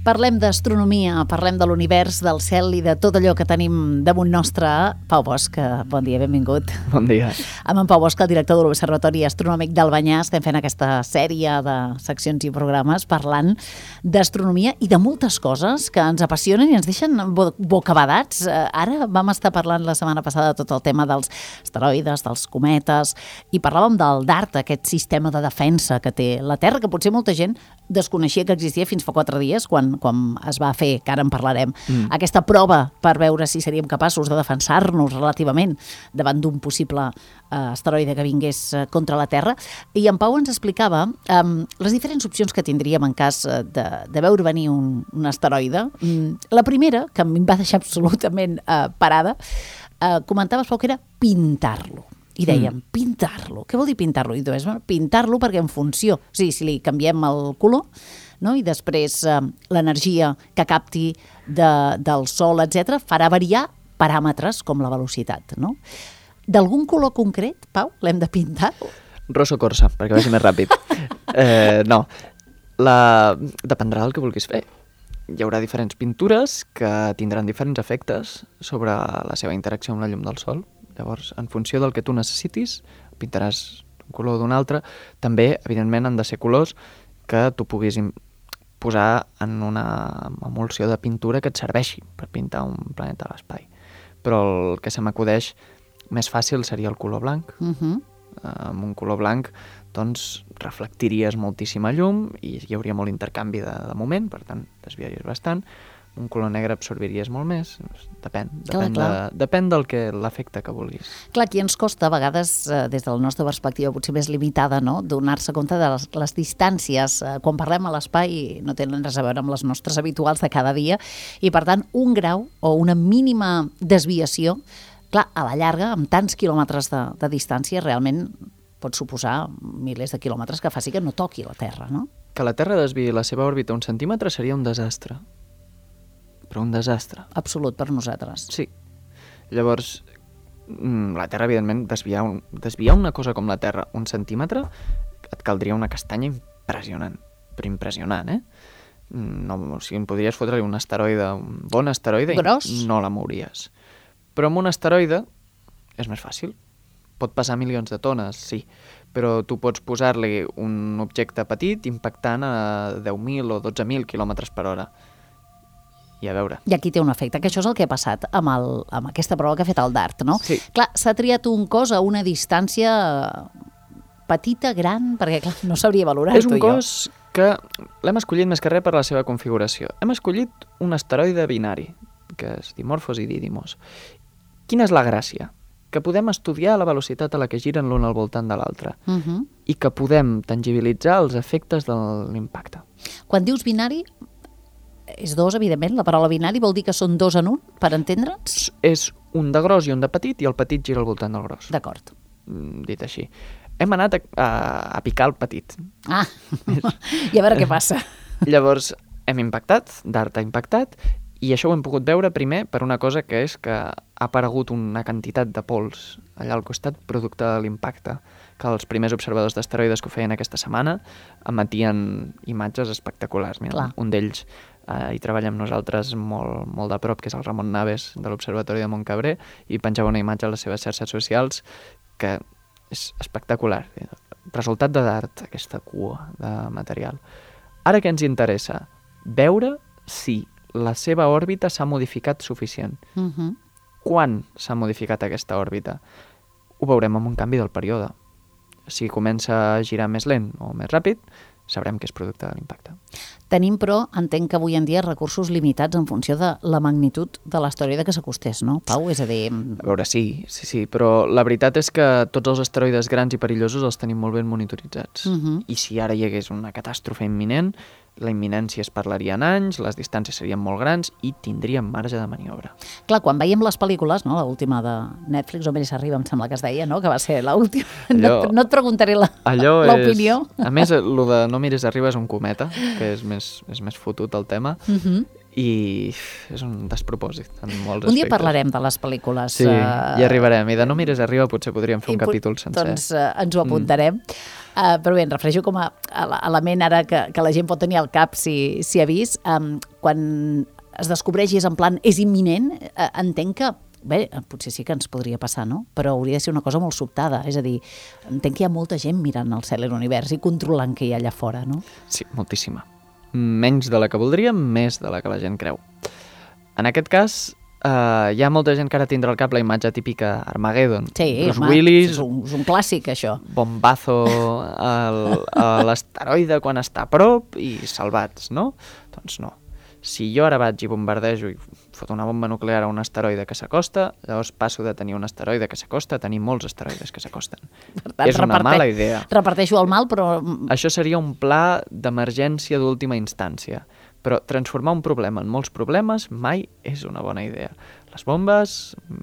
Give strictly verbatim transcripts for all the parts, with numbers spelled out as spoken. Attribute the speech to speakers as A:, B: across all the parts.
A: Parlem d'astronomia, parlem de l'univers, del cel i de tot allò que tenim damunt nostre. Pau Bosch, bon dia, benvingut.
B: Bon dia.
A: Amb en Pau Bosch, el director de l'Observatori Astronòmic d'Albanyà, estem fent aquesta sèrie de seccions i programes parlant d'astronomia i de moltes coses que ens apassionen i ens deixen bo bocabadats. Ara vam estar parlant la setmana passada de tot el tema dels asteroides, dels cometes, i parlàvem del DART, aquest sistema de defensa que té la Terra, que potser molta gent desconeixia que existia fins fa quatre dies, quan, quan es va fer, que ara en parlarem, mm. aquesta prova per veure si seríem capaços de defensar-nos relativament davant d'un possible uh, asteroide que vingués uh, contra la Terra. I en Pau ens explicava um, les diferents opcions que tindríem en cas uh, de, de veure venir un, un asteroide. Mm, la primera, que em va deixar absolutament uh, parada, uh, comentaves, Pau, que era pintar-lo. I dèiem, mm. pintar-lo. Què vol dir pintar-lo? I tu dius, pintar-lo perquè en funció, o sigui, si li canviem el color, no? I després eh, l'energia que capti de, del sol, etcètera, farà variar paràmetres com la velocitat, no? D'algun color concret, Pau, l'hem de pintar?
B: Rosso corsa, perquè vagi més ràpid. eh, no, la... dependrà del que vulguis fer. Hi haurà diferents pintures que tindran diferents efectes sobre la seva interacció amb la llum del sol. Llavors, en funció del que tu necessitis, pintaràs un color d'un altre. També, evidentment, han de ser colors que tu puguis posar en una emulsió de pintura que et serveixi per pintar un planeta a l'espai. Però el que se m'acudeix més fàcil seria el color blanc. Uh-huh. Amb un color blanc, doncs, reflectiries moltíssima llum i hi hauria molt intercanvi de, de moment, per tant, desviaries bastant. Un color negre absorbiries molt més, depèn, depèn, clar, clar. De, depèn del que l'efecte que vulguis.
A: Clar, aquí ens costa a vegades, eh, des de la nostra perspectiva potser més limitada, no?, donar-se compte de les, les distàncies. Eh, quan parlem a l'espai no tenen res a veure amb les nostres habituals de cada dia i, per tant, un grau o una mínima desviació, clar, a la llarga, amb tants quilòmetres de, de distància, realment pot suposar milers de quilòmetres que faci que no toqui la Terra, no?
B: Que la Terra desviï la seva òrbita un centímetre seria un desastre. Però un desastre.
A: Absolut per nosaltres.
B: Sí. Llavors, la Terra, evidentment, desviar, un, desviar una cosa com la Terra un centímetre, et caldria una castanya impressionant. Però impressionant, eh? No, o sigui, em podries fotre un asteroide, un bon asteroide,
A: gros,
B: i no la mouries. Però amb un asteroide és més fàcil. Pot passar milions de tones, sí, però tu pots posar-li un objecte petit impactant a deu mil o dotze mil quilòmetres per hora. I a veure.
A: I aquí té un efecte, que això és el que ha passat amb, el, amb aquesta prova que ha fet el DART, no?
B: Sí.
A: Clar, s'ha triat un cos a una distància petita, gran, perquè clar, no sabria valorar-ho.
B: És un cos que l'hem escollit més que res per la seva configuració. Hem escollit un asteroide binari, que és Dimorphos i Didymos. Quina és la gràcia? Que podem estudiar la velocitat a la que giren l'un al voltant de l'altre uh -huh. i que podem tangibilitzar els efectes de l'impacte.
A: Quan dius binari, és dos, evidentment. La paraula binari vol dir que són dos en un, per entendre'ns?
B: És un de gros i un de petit, i el petit gira al voltant del gros.
A: D'acord.
B: Dit així. Hem anat a, a, a picar el petit.
A: Ah, i a veure què passa.
B: Llavors, hem impactat, DART ha impactat, i això ho hem pogut veure primer per una cosa que és que ha aparegut una quantitat de pols allà al costat producte de l'impacte, que els primers observadors d'asteroides que ho feien aquesta setmana emetien imatges espectaculars. Mira,
A: clar,
B: un d'ells Uh, hi treballa amb nosaltres molt, molt de prop, que és el Ramon Naves de l'Observatori de Montcabré, i penjava una imatge a les seves xarxes socials que és espectacular. Resultat de DART, aquesta cua de material. Ara què ens interessa? Veure si la seva òrbita s'ha modificat suficient. Uh-huh. Quan s'ha modificat aquesta òrbita? Ho veurem amb un canvi del període. Si comença a girar més lent o més ràpid, sabrem que és producte de l'impacte.
A: Tenim, però, entenc que avui en dia recursos limitats en funció de la magnitud de l'asteroide que s'acostés, no, Pau? És a dir...
B: A veure, sí, sí, sí, però la veritat és que tots els asteroides grans i perillosos els tenim molt ben monitoritzats. Uh-huh. I si ara hi hagués una catàstrofe imminent, la imminència es parlaria en anys, les distàncies serien molt grans i tindríem marge de maniobra.
A: Clar, quan veiem les pel·lícules, no, l'última de Netflix, o Meres Arriba, em sembla que es deia, no?, que va ser l'última. No, no et preguntaré l'opinió.
B: A més, el de No mires arriba és un cometa, que és més, és més fotut el tema, uh-huh. i és un despropòsit en molts aspectes.
A: Un dia parlarem de les pel·lícules.
B: Sí, uh... hi arribarem. I de No mires arriba potser podríem fer un capítol sencer.
A: Doncs uh, ens ho apuntarem. Mm. Uh, però bé, em refereixo com a, a l'element ara que, que la gent pot tenir al cap si, si ha vist. Um, quan es descobreix i és en plan, és imminent, uh, entenc que, bé, potser sí que ens podria passar, no? Però hauria de ser una cosa molt sobtada. És a dir, entenc que hi ha molta gent mirant el cel i l'univers i controlant què hi ha allà fora, no?
B: Sí, moltíssima. Menys de la que voldríem, més de la que la gent creu. En aquest cas, Uh, hi ha molta gent que ara tindrà al cap la imatge típica Armageddon.
A: Sí,
B: Bruce
A: home,
B: Willis,
A: és un, és un clàssic, això.
B: Bombazo al, a l'asteroide quan està a prop i salvats, no? Doncs no. Si jo ara vaig i bombardejo i foto una bomba nuclear a un asteroide que s'acosta, llavors passo de tenir un asteroide que s'acosta a tenir molts asteroides que s'acosten. És una
A: reparte...
B: mala idea.
A: Reparteixo el mal, però...
B: Això seria un pla d'emergència d'última instància. Però transformar un problema en molts problemes mai és una bona idea. Les bombes,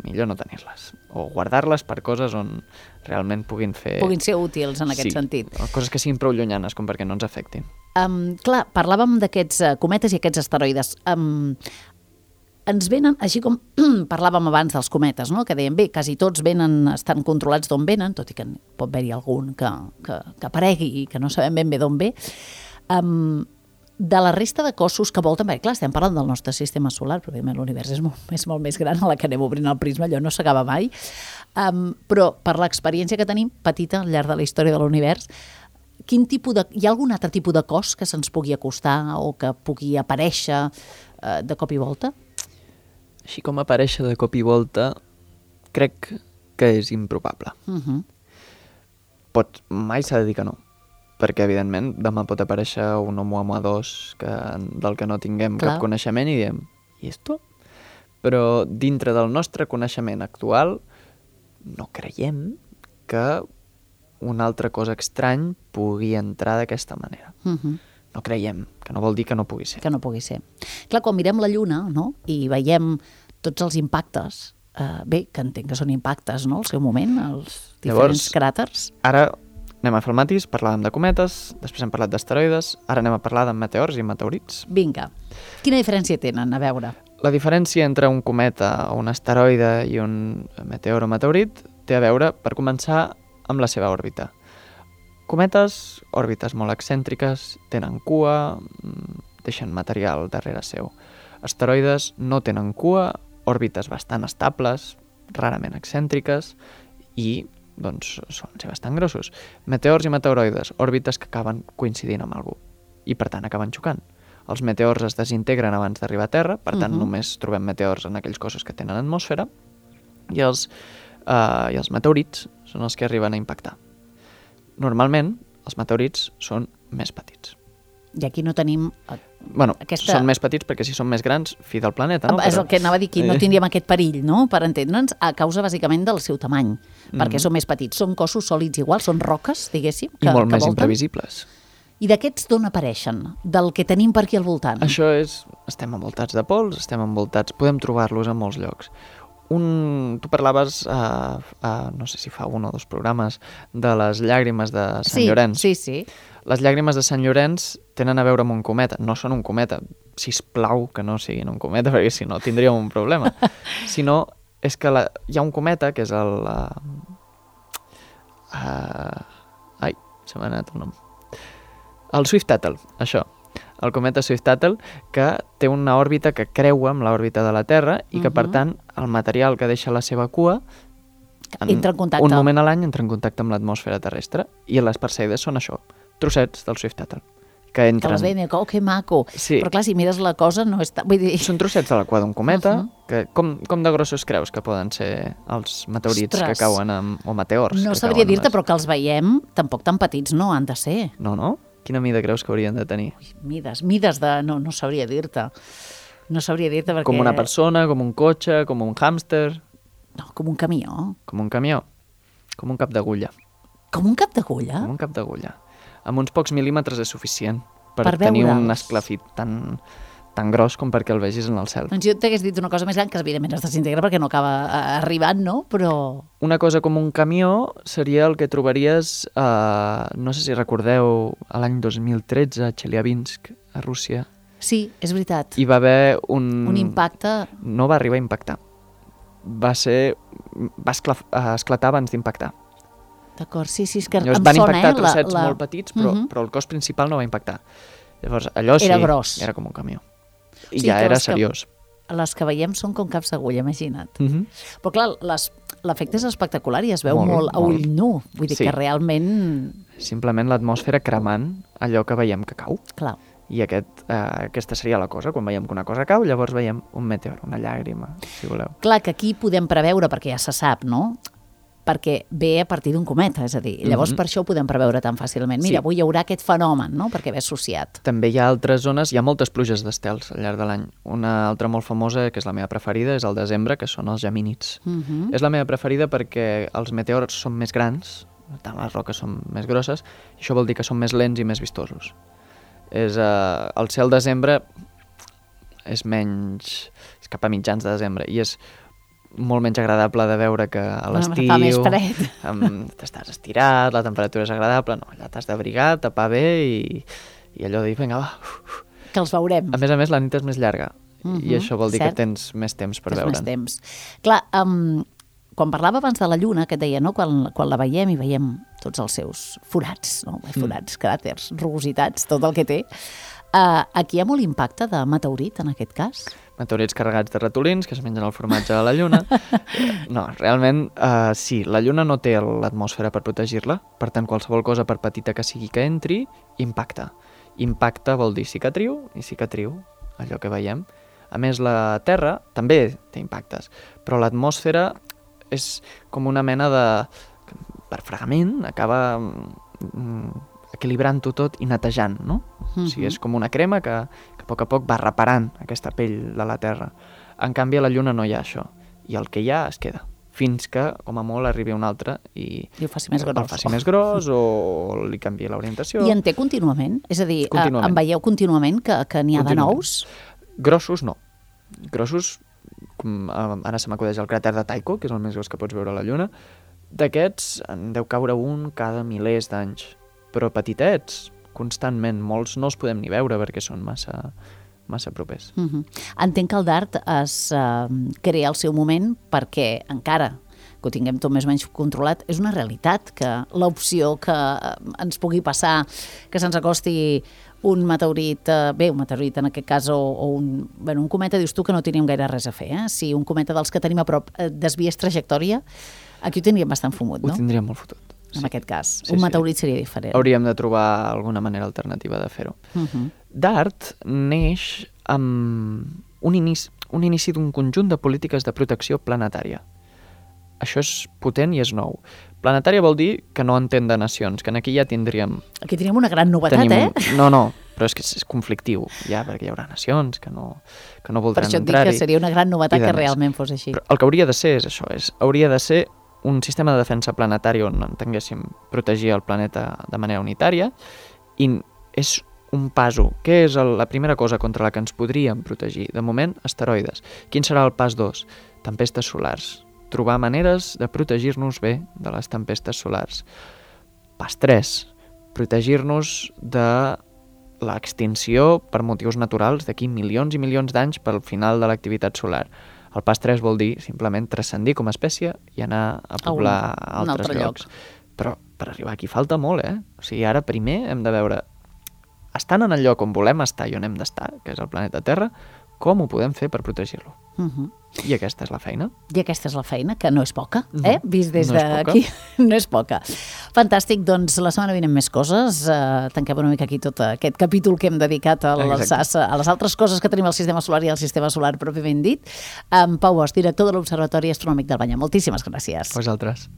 B: millor no tenir-les. O guardar-les per coses on realment puguin fer...
A: Puguin ser útils en aquest
B: sí,
A: sentit.
B: Coses que siguin prou llunyanes com perquè no ens afectin.
A: Um, clar, parlàvem d'aquests uh, cometes i aquests asteroides. Um, ens venen, així com parlàvem abans dels cometes, no? Que dèiem, bé, quasi tots venen, estan controlats d'on venen, tot i que pot haver-hi algun que, que, que aparegui i que no sabem ben bé d'on ve. Um, de la resta de cossos que volten, perquè clar, estem parlant del nostre sistema solar, però l'univers és, molt, és molt més gran, a la que anem obrint el prisma, allò no s'acaba mai, um, però per l'experiència que tenim, petita, al llarg de la història de l'univers, quin tipus de, hi ha algun altre tipus de cos que se'ns pugui acostar o que pugui aparèixer uh, de cop i volta?
B: Així com aparèixer de cop i volta, crec que és improbable.
A: Uh-huh.
B: Pot, mai s'ha de dir que no. Perquè, evidentment, demà pot aparèixer un Oumuamua dos que, del que no tinguem Clar. cap coneixement i diem, i esto? Però dintre del nostre coneixement actual no creiem que una altra cosa estrany pugui entrar d'aquesta manera.
A: Uh-huh.
B: No creiem, que no vol dir que no pugui ser.
A: Que no pugui ser. Clar, quan mirem la Lluna, no?, i veiem tots els impactes, eh, bé, que entenc que són impactes, no?, al seu moment, els diferents
B: Llavors,
A: cràters.
B: Ara anem a fer el matís, parlàvem de cometes, després hem parlat d'asteroides, ara anem a parlar de meteors i meteorits.
A: Vinga. Quina diferència tenen, a veure?
B: La diferència entre un cometa o un asteroide i un meteor o meteorit té a veure, per començar, amb la seva òrbita. Cometes, òrbites molt excèntriques, tenen cua, deixen material darrere seu. Asteroides no tenen cua, òrbites bastant estables, rarament excèntriques i doncs solen ser bastant grossos. Meteors i meteoroides, òrbites que acaben coincidint amb algú i per tant acaben xocant. Els meteors es desintegren abans d'arribar a Terra, per tant uh-huh. només trobem meteors en aquells cossos que tenen atmosfera i els, uh, i els meteorits són els que arriben a impactar. Normalment els meteorits són més petits.
A: I aquí no tenim...
B: Bueno,
A: aquesta...
B: són més petits perquè si són més grans, fi del planeta, no?
A: És el que anava a dir aquí, no tindríem aquest perill, no?, per entendre'ns, a causa bàsicament del seu tamany, mm. perquè són més petits. Són cossos sòlids iguals, són roques, diguéssim, que,
B: I molt
A: que
B: més
A: volten.
B: Imprevisibles.
A: I d'aquests d'on apareixen? Del que tenim per aquí al voltant?
B: Això és... Estem envoltats de pols, estem envoltats... Podem trobar-los a molts llocs. Un... Tu parlaves, uh, uh, no sé si fa un o dos programes, de les llàgrimes de Sant
A: sí,
B: Llorenç.
A: Sí, sí, sí.
B: Les llàgrimes de Sant Llorenç tenen a veure amb un cometa. No són un cometa. Sisplau que no siguin un cometa, perquè si no tindríem un problema. Si no, és que la... hi ha un cometa, que és el... Uh... Uh... Ai, se m'ha anat el nom. El Swift-Tuttle, això. El cometa Swift-Tuttle, que té una òrbita que creua amb l'òrbita de la Terra i que, uh-huh. per tant, el material que deixa la seva cua en
A: entra en contacte.
B: Un moment a l'any entra en contacte amb l'atmosfera terrestre i les Perseides són això, trossets del Swift-Tuttle. Que entren...
A: Que les veiem, oh, que maco.
B: Sí.
A: Però clar, si mires la cosa no està... Vull dir...
B: Són trossets de la cua d'un cometa, uh-huh. que com, com de grossos creus que poden ser els meteorits
A: Ostres.
B: que cauen amb, o meteors?
A: No
B: que
A: sabria
B: cauen
A: dir-te,
B: les...
A: però que els veiem tampoc tan petits no han de ser.
B: No, no? Quina mida creus que haurien de tenir?
A: Ui, mides, mides de... No, no sabria dir-te. No sabria dir-te perquè...
B: Com una persona, com un cotxe, com un hàmster...
A: No, com un camió.
B: Com un camió. Com un cap d'agulla.
A: Com un cap d'agulla?
B: Com un cap d'agulla. Amb uns pocs mil·límetres és suficient per,
A: per
B: tenir
A: veure'ls.
B: Un esclafit tan, tan gros com perquè el vegis en el cel.
A: Doncs jo t'hagués dit una cosa més gran, que evidentment es desintegra perquè no acaba arribant, no? Però...
B: Una cosa com un camió seria el que trobaries, eh, no sé si recordeu, a l'any dos mil tretze a Chelyabinsk, a Rússia.
A: Sí, és veritat.
B: Hi va haver un...
A: Un impacte...
B: No va arribar a impactar. Va ser... va esclaf... esclatar abans d'impactar.
A: D'acord, sí, sí, és que
B: Llavors
A: em
B: van
A: sona,
B: impactar
A: eh?
B: trossets
A: la, la...
B: molt petits, però,
A: uh -huh.
B: però el cos principal no va impactar. Llavors, allò sí,
A: Era gros.
B: era com un camió. I
A: O sigui
B: ja
A: que
B: era
A: les que-
B: seriós.
A: Les que veiem són com caps d'agulla, imagina't.
B: Uh -huh.
A: Però clar, les- l'efecte és espectacular i es veu
B: Molt,
A: molt, a
B: molt.
A: ull nu. Vull dir
B: Sí.
A: que realment...
B: Simplement l'atmosfera cremant allò que veiem que cau.
A: Clar,
B: I aquest, eh, aquesta seria la cosa. Quan veiem que una cosa cau, llavors veiem un meteor, una llàgrima, si voleu.
A: clar que aquí podem preveure, perquè ja se sap, no?, perquè ve a partir d'un cometa, és a dir, llavors
B: Mhm.
A: per això ho podem preveure tan fàcilment. Mira,
B: Sí.
A: avui hi haurà aquest fenomen, no?, perquè ve associat.
B: També hi ha altres zones, hi ha moltes pluges d'estels al llarg de l'any. Una altra molt famosa, que és la meva preferida, és el desembre, que són els gemínids.
A: Uh -huh.
B: És la meva preferida perquè els meteors són més grans, per tant les roques són més grosses, i això vol dir que són més lents i més vistosos. És, eh, el cel desembre és menys... és cap a mitjans de desembre, i és molt menys agradable de veure que a l'estiu...
A: Fa més fred.
B: amb- t'estàs estirat, la temperatura és agradable, no, allà t'has d'abrigar, tapar bé i, i allò de dir, vinga, va.
A: Que els veurem.
B: A més a més, la nit és més llarga,
A: Mhm,
B: i això vol dir
A: cert.
B: que tens més temps per
A: Tens
B: veure'n.
A: més temps. Clar, um, quan parlava abans de la Lluna, que et deia, no?, quan, quan la veiem i veiem tots els seus forats, no? forats, cràters, rugositats, tot el que té, uh, aquí hi ha molt impacte de meteorit, en aquest cas?
B: Meteorits carregats de ratolins que es mengen el formatge a la Lluna. No, realment, uh, sí, la Lluna no té l'atmosfera per protegir-la, per tant, qualsevol cosa, per petita que sigui que entri, impacta. Impacta vol dir cicatriu, i cicatriu, allò que veiem. A més, la Terra també té impactes, però l'atmosfera és com una mena de... per fregament, acaba mm, equilibrant-ho tot i netejant, no?
A: Mhm.
B: O sigui, és com una crema que, que a poc a poc va reparant aquesta pell de la Terra. En canvi, a la Lluna no hi ha això, i el que hi ha es queda, fins que, com a molt, arribi un altre i,
A: I ho faci més
B: el
A: gros.
B: faci més gros o li canvi l'orientació.
A: I en té contínuament? És a dir, eh,
B: Contínuament.
A: en veieu contínuament que, que n'hi ha de
B: Contínuament.
A: nous?
B: Grossos, no. Grossos, com, eh, ara se m'acudeix el cràter de Tycho, que és el més gros que pots veure a la Lluna. D'aquests en deu caure un cada milers d'anys. Però petitets, constantment, molts no els podem ni veure perquè són massa, massa propers.
A: Uh -huh. Entenc que el DART es uh, crea al seu moment perquè encara que ho tinguem tot més o menys controlat, és una realitat que l'opció que uh, ens pugui passar, que se'ns acosti un meteorit, uh, bé, un meteorit en aquest cas, o, o un, bueno, un cometa, dius tu que no teníem gaire res a fer, eh? Si un cometa dels que tenim a prop uh, desviés trajectòria, aquí ho tindríem bastant fumut, no?
B: Ho tindríem molt fotut.
A: En
B: Sí.
A: aquest cas.
B: Sí,
A: un
B: sí.
A: meteorit seria diferent.
B: Hauríem de trobar alguna manera alternativa de fer-ho.
A: Uh -huh.
B: DART neix amb un inici, un inici d'un conjunt de polítiques de protecció planetària. Això és potent i és nou. Planetària vol dir que no entén de nacions, que aquí ja tindríem...
A: Aquí tenim una gran novetat,
B: tenim,
A: eh?
B: No, no, però és que és conflictiu, ja, perquè hi haurà nacions que no, que no
A: Per
B: voldran
A: això et dic
B: entrar-hi.
A: que seria una gran novetat
B: i de
A: que
B: més.
A: realment fos així.
B: Però el que hauria de ser és això, és, hauria de ser un sistema de defensa planetari on entenguéssim protegir el planeta de manera unitària, i és un paso. Què és el, la primera cosa contra la que ens podríem protegir? De moment, asteroides. Quin serà el pas dos? Tempestes solars. Trobar maneres de protegir-nos bé de les tempestes solars. Pas tres. Protegir-nos de l'extinció per motius naturals d'aquí milions i milions d'anys pel final de l'activitat solar. El pas tres vol dir simplement transcendir com a espècie i anar a poblar
A: A un- un
B: altres
A: altre
B: llocs. Però per arribar aquí falta molt, eh? O sigui, ara primer hem de veure, estant en el lloc on volem estar i on hem d'estar, que és el planeta Terra, com ho podem fer per protegir-lo.
A: Uh -huh.
B: I aquesta és la feina.
A: I aquesta és la feina, que no és poca, eh?
B: Mhm.
A: Vist des
B: No és poca.
A: d'aquí, no és poca. Fantàstic, doncs la setmana vinent més coses. Uh, tanquem una mica aquí tot aquest capítol que hem dedicat a les,
B: Exacte.
A: a les altres coses que tenim al sistema solar i al sistema solar pròpiament dit. En Pau Bosch, director de l'Observatori Astronòmic d'Albanyà. Moltíssimes gràcies.
B: Vosaltres.